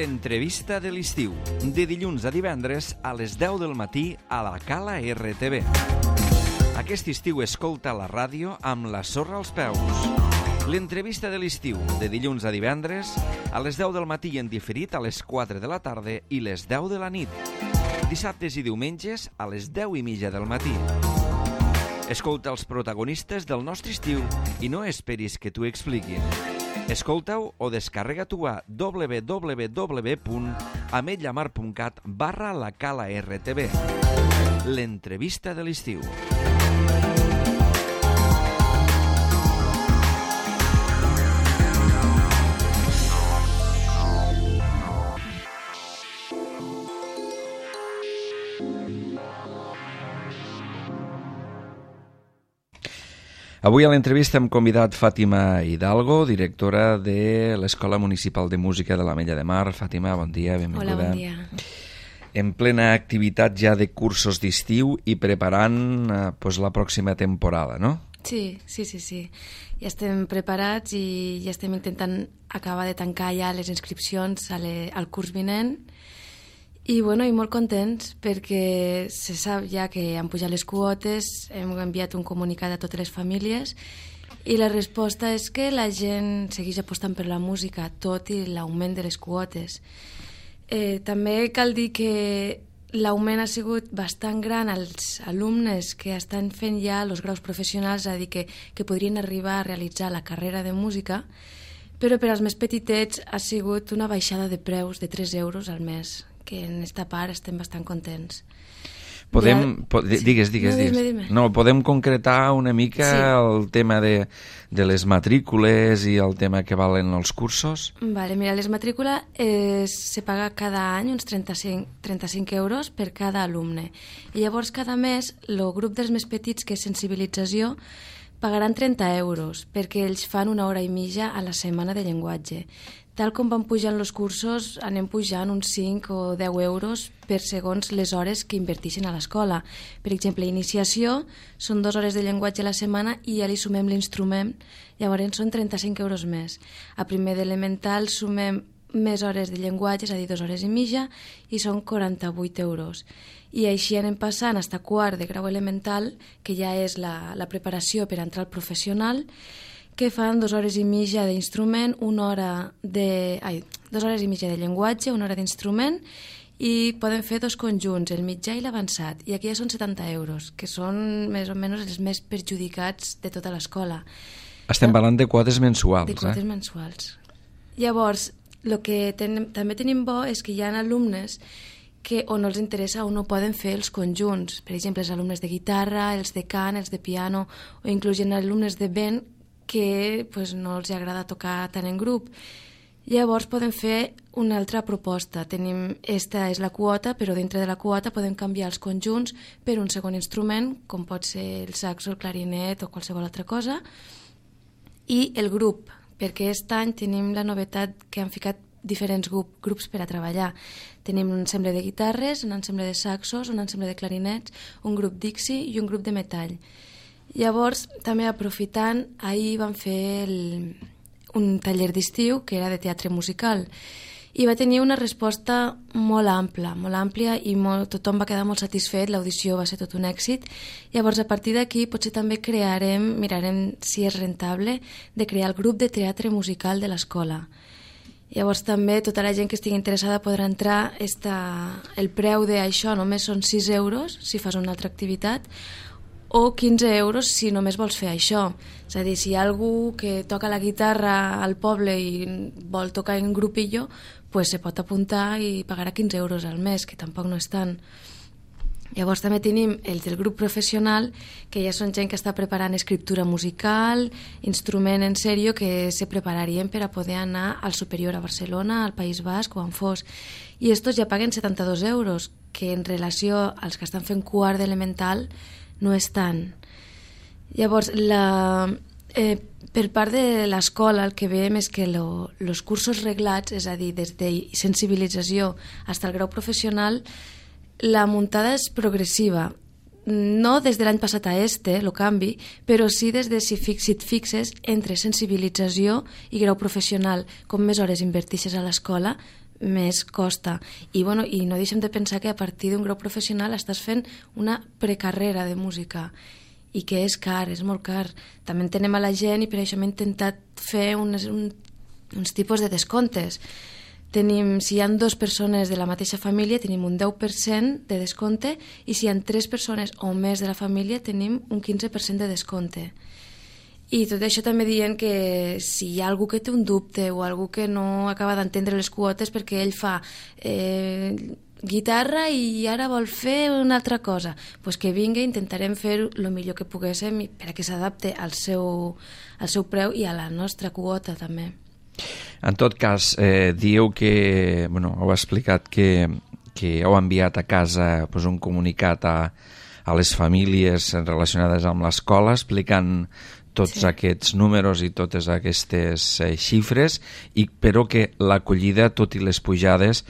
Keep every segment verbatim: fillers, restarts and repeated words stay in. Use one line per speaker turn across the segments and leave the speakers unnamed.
l'entrevista de l'estiu, de dilluns a divendres a les deu del matí a la Cala R T V. Aquest estiu escolta la ràdio amb la sorra als peus. L'entrevista de l'estiu, de dilluns a divendres, a les deu del matí i en diferit a les quatre de la tarda i les deu de la nit. Dissabtes i diumenges a les deu i mitja del matí. Escolta els protagonistes del nostre estiu i no esperis que t'ho expliquin. Escolta-ho o descarrega-t'ho a w w w punt ametlla mar punt cat barra la Cala R T V. L'entrevista de l'estiu. Avui a l'entrevista hem convidat Fàtima Hidalgo, directora de l'Escola Municipal de Música de l'Ametlla de Mar. Fàtima, bon dia, benvinguda.
Hola, bon dia.
En plena activitat ja de cursos d'estiu i preparant eh, pues, la pròxima temporada, no?
Sí, sí, sí, sí. Ja estem preparats i ja estem intentant acabar de tancar ja les inscripcions a le, al curs vinent. I, bueno, i molt contents perquè se sap ja que han pujat les quotes, hem enviat un comunicat a totes les famílies i la resposta és que la gent segueix apostant per la música, tot i l'augment de les quotes. Eh, també cal dir que l'augment ha sigut bastant gran als alumnes que estan fent ja els graus professionals, és a dir, que, que podrien arribar a realitzar la carrera de música, però per als més petitets ha sigut una baixada de preus de tres euros al mes, que en esta part estem bastant contents.
Podem,
ja...
po digues, digues,
no,
digues.
Dime, dime.
No, podem concretar una mica
sí.
el tema de, de les matrícules i el tema que valen els cursos?
Vale, mira, les matrícules eh, se paga cada any uns trenta-cinc, trenta-cinc euros per cada alumne. I llavors cada mes el grup dels més petits, que és sensibilització, pagaran trenta euros perquè ells fan una hora i mitja a la setmana de llenguatge. Tal com van pujant els cursos, anem pujant uns cinc o deu euros per segons les hores que inverteixen a l'escola. Per exemple, iniciació són dues hores de llenguatge a la setmana i ja li sumem l'instrument, llavors són trenta-cinc euros més. A primer d'elemental sumem més hores de llenguatge, és a dir, dues hores i mitja, i són quaranta-vuit euros. I així anem passant fins a quart de grau elemental, que ja és la, la preparació per entrar al professional, que fan dues hores i mitja d'instrument, una hora de... Ai, dues hores i mitja de llenguatge, una hora d'instrument, i poden fer dos conjunts, el mitjà i l'avançat, i aquí ja són setanta euros, que són més o menys els més perjudicats de tota l'escola.
Estem parlant de quotes mensuals,
de quotes
eh?
mensuals. Llavors, el que ten, també tenim bo és que hi ha alumnes que o no els interessa o no poden fer els conjunts. Per exemple, els alumnes de guitarra, els de cant, els de piano, o inclús hi ha alumnes de vent que pues, no els agrada tocar tant en grup. Llavors podem fer una altra proposta. Tenim, esta és la quota, però dintre de la quota podem canviar els conjunts per un segon instrument, com pot ser el saxo, el clarinet o qualsevol altra cosa, i el grup, perquè aquest any tenim la novetat que han ficat diferents grup, grups per a treballar. Tenim un ensemble de guitarres, un ensemble de saxos, un ensemble de clarinets, un grup Dixi i un grup de metall. Llavors, també aprofitant, ahir vam fer el, un taller d'estiu que era de teatre musical i va tenir una resposta molt ampla, molt àmplia i molt, tothom va quedar molt satisfet, l'audició va ser tot un èxit. Llavors, a partir d'aquí, potser també crearem, mirarem si és rentable, de crear el grup de teatre musical de l'escola. Llavors també tota la gent que estigui interessada podrà entrar. Esta, el preu d'això només són sis euros si fas una altra activitat, o quinze euros si només vols fer això. És a dir, si hi ha algú que toca la guitarra al poble i vol tocar en grupillo, pues se pot apuntar i pagarà quinze euros al mes, que tampoc no és tant. Llavors també tenim el del grup professional, que ja són gent que està preparant escriptura musical, instrument en sèrio, que se prepararien per a poder anar al superior a Barcelona, al País Basc o on fos. I estos ja paguen setanta-dos euros, que en relació als que estan fent quart d'elemental no és tant. Llavors, la, eh, per part de l'escola el que veiem és que els cursos reglats, és a dir, des de sensibilització fins al grau professional, la muntada és progressiva. No des de l'any passat a este, el canvi, però sí des de si, fix, si et fixes entre sensibilització i grau professional. Com més hores invertixes a l'escola, més costa. I, bueno, i no deixem de pensar que a partir d'un grau professional estàs fent una precarrera de música i que és car, és molt car. També entenem a la gent i per això hem intentat fer unes, un, uns tipus de descomptes. Tenim, si hi ha dues persones de la mateixa família, tenim un deu per cent de descompte i si hi ha tres persones o més de la família, tenim un quinze per cent de descompte. I tot això també dient que si hi ha algú que té un dubte o algú que no acaba d'entendre les quotes perquè ell fa eh, guitarra i ara vol fer una altra cosa, pues que vingui, intentarem fer el millor que poguéssim perquè s'adapte al seu, al seu preu i a la nostra quota també.
En tot cas, eh, dieu que, bueno, heu explicat que, que heu enviat a casa pues, un comunicat a, a les famílies relacionades amb l'escola explicant tots sí. aquests números i totes aquestes eh, xifres, i, però que l'acollida, tot i les pujades,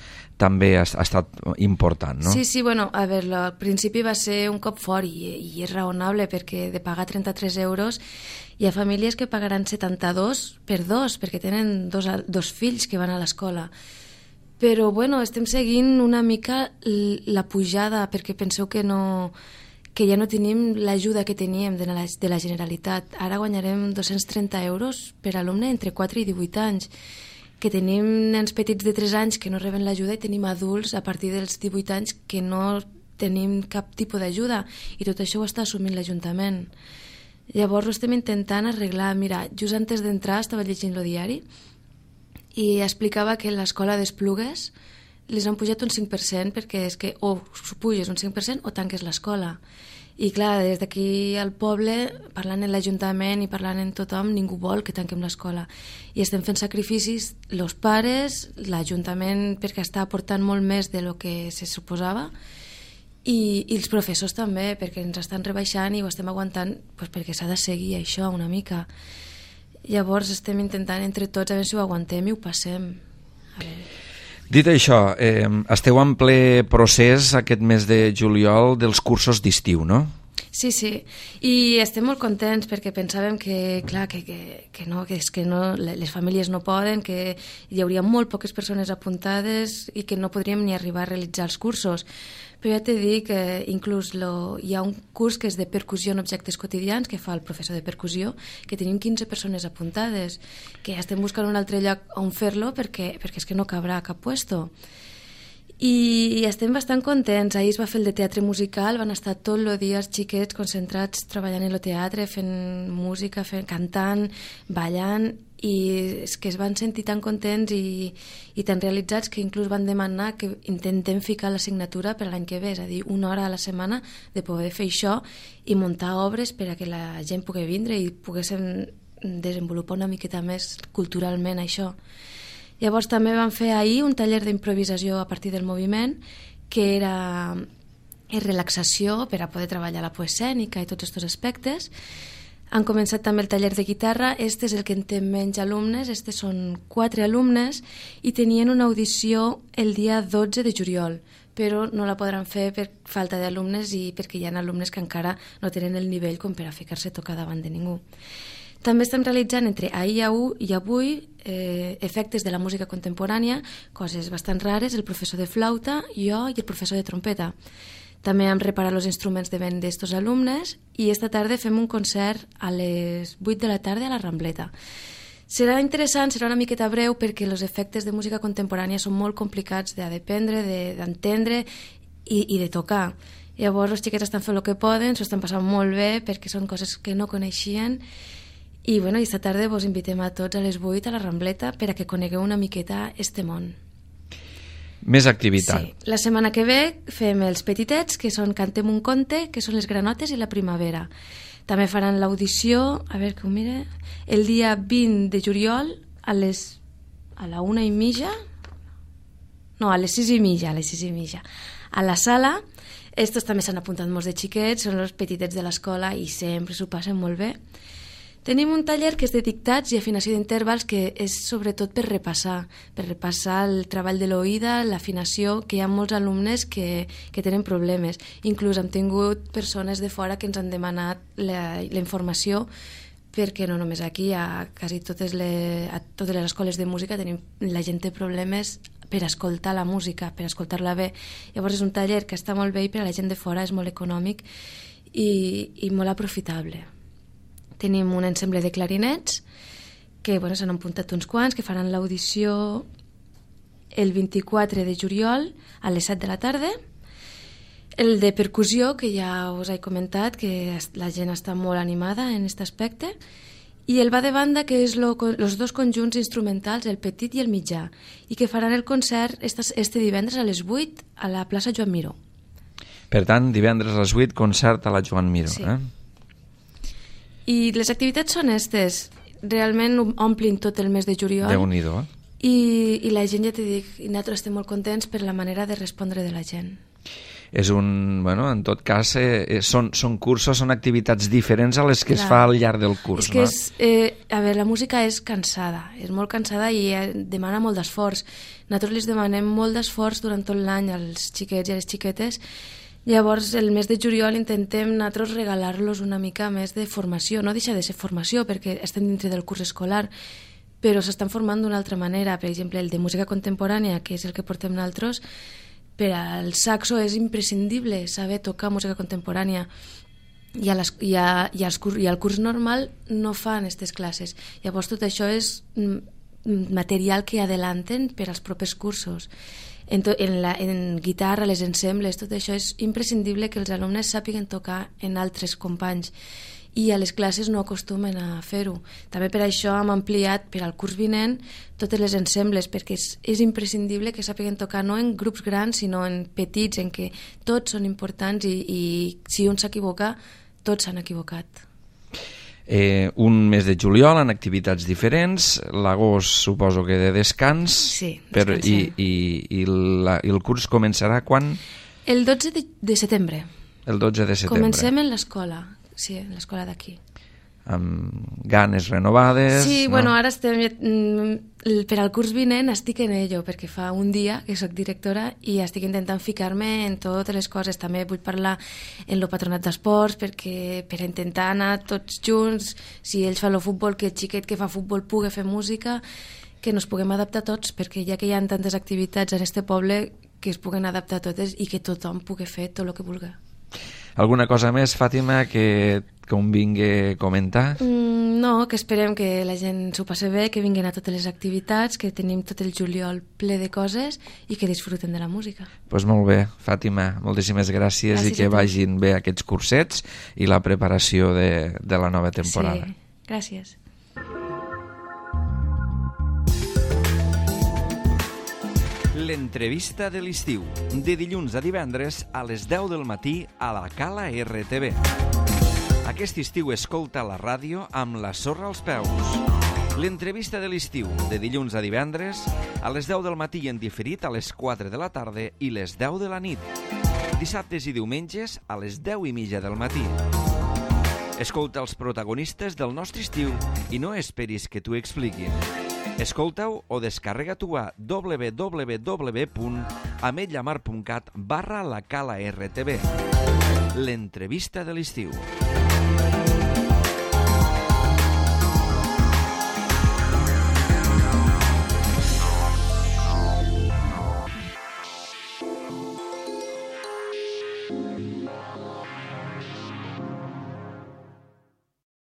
també ha, ha estat important, no?
Sí, sí, bueno, a veure, al principi va ser un cop fort i, i és raonable perquè de pagar trenta-tres euros hi ha famílies que pagaran setanta-dos per dos, perquè tenen dos, dos fills que van a l'escola. Però, bueno, estem seguint una mica la pujada perquè penseu que no... que ja no tenim l'ajuda que teníem de la, de la Generalitat. Ara guanyarem dos-cents trenta euros per alumne entre quatre i divuit anys, que tenim nens petits de tres anys que no reben l'ajuda i tenim adults a partir dels divuit anys que no tenim cap tipus d'ajuda, i tot això ho està assumint l'Ajuntament. Llavors ho estem intentant arreglar. Mira, just antes d'entrar estava llegint el diari i explicava que l'escola d'Esplugues les han pujat un cinc per cent perquè és que o puges un cinc per cent o tanques l'escola. I clar, des d'aquí al poble, parlant en l'Ajuntament i parlant en tothom, ningú vol que tanquem l'escola. I estem fent sacrificis, els pares, l'Ajuntament, perquè està aportant molt més de lo que se suposava, i, i els professors també, perquè ens estan rebaixant i ho estem aguantant pues, perquè s'ha de seguir això una mica. Llavors estem intentant entre tots a veure si ho aguantem i ho passem. A veure...
Dit això, eh, esteu en ple procés aquest mes de juliol dels cursos d'estiu, no?
Sí, sí, i estem molt contents perquè pensàvem que, clar, que, que, que no, que és que no, les famílies no poden, que hi hauria molt poques persones apuntades i que no podríem ni arribar a realitzar els cursos. Però ja t'he dit que inclús lo, hi ha un curs que és de percussió en objectes quotidians que fa el professor de percussió, que tenim quinze persones apuntades, que ja estem buscant un altre lloc on fer-lo perquè, perquè és que no cabrà a cap puesto. I estem bastant contents. Ahir es va fer el de teatre musical, van estar tot el dia els xiquets concentrats treballant en el teatre, fent música, fent, cantant, ballant, i és que es van sentir tan contents i, i tan realitzats que inclús van demanar que intentem ficar l'assignatura per a l'any que ve, és a dir, una hora a la setmana de poder fer això i muntar obres per a que la gent pugui vindre i poguéssim desenvolupar una miqueta més culturalment això. Llavors també vam fer ahir un taller d'improvisació a partir del moviment, que era relaxació per a poder treballar la poescènica i tots aquests aspectes. Han començat també el taller de guitarra. Este és el que en té menys alumnes, este són quatre alumnes i tenien una audició el dia dotze de juliol, però no la podran fer per falta d'alumnes i perquè hi ha alumnes que encara no tenen el nivell com per a ficar-se a tocar davant de ningú. També estem realitzant entre ahir i avui eh, efectes de la música contemporània, coses bastant rares, el professor de flauta, jo i el professor de trompeta. També hem reparat els instruments de vent d'estos alumnes i esta tarda fem un concert a les vuit de la tarda a la Rambleta. Serà interessant, serà una miqueta breu perquè els efectes de música contemporània són molt complicats d'aprendre, d'entendre i, i de tocar. Llavors els xiquets estan fent el que poden, s'ho estan passant molt bé perquè són coses que no coneixien. I bueno, esta tarda vos invitem a tots a les vuit a la Rambleta per a que conegueu una miqueta este món.
Més activitat.
Sí. La setmana que ve fem els petitets, que són Cantem un conte, que són les granotes i la primavera. També faran l'audició, a veure que ho mire, el dia vint de juliol a les a la una i mitja, no, a les sis i mitja, a les sis i mitja, a la sala. Estos també s'han apuntat molts de xiquets, són els petitets de l'escola i sempre s'ho passen molt bé. Tenim un taller que és de dictats i afinació d'intervals, que és sobretot per repassar, per repassar el treball de l'oïda, l'afinació, que hi ha molts alumnes que, que tenen problemes. Inclús hem tingut persones de fora que ens han demanat la, la informació perquè no només aquí, a quasi totes les, a totes les escoles de música tenim, la gent té problemes per escoltar la música, per escoltar-la bé. Llavors és un taller que està molt bé i per a la gent de fora és molt econòmic i, i molt aprofitable. Tenim un ensemble de clarinets que bueno, s'han apuntat uns quants, que faran l'audició el vint-i-quatre de juliol a les set de la tarda. El de percussió, que ja us he comentat, que la gent està molt animada en aquest aspecte, i el va de banda, que és els dos conjunts instrumentals, el petit i el mitjà, i que faran el concert este divendres a les vuit a la plaça Joan Miró.
Per tant, divendres a les vuit, concert a la Joan Miró.
Sí.
Eh?
I les activitats són aquestes. Realment omplin tot el mes de juliol.
Déu-n'hi-do, eh?
I, i la gent, ja t'he dit, i nosaltres estem molt contents per la manera de respondre de la gent.
És un, bueno, en tot cas, eh, són, són cursos, són activitats diferents a les que Clar. es fa al llarg del curs.
És que
no?
és, eh, a veure, la música és cansada, és molt cansada i eh, demana molt d'esforç. Nosaltres les demanem molt d'esforç durant tot l'any als xiquets i a les xiquetes. Llavors, el mes de juliol intentem nosaltres regalar-los una mica més de formació. No deixa de ser formació perquè estem dintre del curs escolar, però s'estan formant d'una altra manera. Per exemple, el de música contemporània, que és el que portem nosaltres, per al saxo és imprescindible saber tocar música contemporània i, a les, i, a, i, als, i al curs normal no fan aquestes classes. Llavors tot això és material que adelanten per als propers cursos. En, to, en, la, en guitarra, les ensembles, tot això és imprescindible que els alumnes sàpiguen tocar en altres companys i a les classes no acostumen a fer-ho. També per això hem ampliat per al curs vinent totes les ensembles, perquè és, és imprescindible que sàpiguen tocar no en grups grans, sinó en petits, en què tots són importants i, i si un s'equivoca, tots s'han equivocat.
Eh, un mes de juliol en activitats diferents, l'agost suposo que de descans,
sí,
per, i, i, i, la, i el curs començarà quan? El
dotze de, de setembre.
El dotze de setembre.
Comencem en l'escola. Sí, l'escola d'aquí.
Amb ganes renovades...
Sí,
no?
bueno, ara estem... Per al curs vinent estic en ello, perquè fa un dia que sóc directora i estic intentant ficar-me en totes les coses. També vull parlar en el patronat d'esports perquè per intentar anar tots junts, si ells fan el futbol, que el xiquet que fa futbol pugui fer música, que ens puguem adaptar tots, perquè ja que hi ha tantes activitats en este poble, que es puguen adaptar totes i que tothom pugui fer tot el que vulgui.
Alguna cosa més, Fàtima, que convingui comentar?
Mm, no, que esperem que la gent s'ho passi bé, que vinguin a totes les activitats, que tenim tot el juliol ple de coses i que disfruten de la música.
Doncs pues molt bé, Fàtima, moltíssimes gràcies, gràcies i que vagin bé aquests cursets i la preparació de, de la nova temporada.
Sí, gràcies.
L'entrevista de l'estiu, de dilluns a divendres a les deu del matí a la Cala R T V. Aquest estiu escolta la ràdio amb la sorra als peus. L'entrevista de l'estiu, de dilluns a divendres a les deu del matí i en diferit a les quatre de la tarda i les deu de la nit. Dissabtes i diumenges a les deu i mitja del matí. Escolta els protagonistes del nostre estiu i no esperis que t'ho expliquin. Escolta-ho o descarrega-t'ho a w w w punt ametlla mar punt cat barra la Cala R T V. L'entrevista de l'estiu.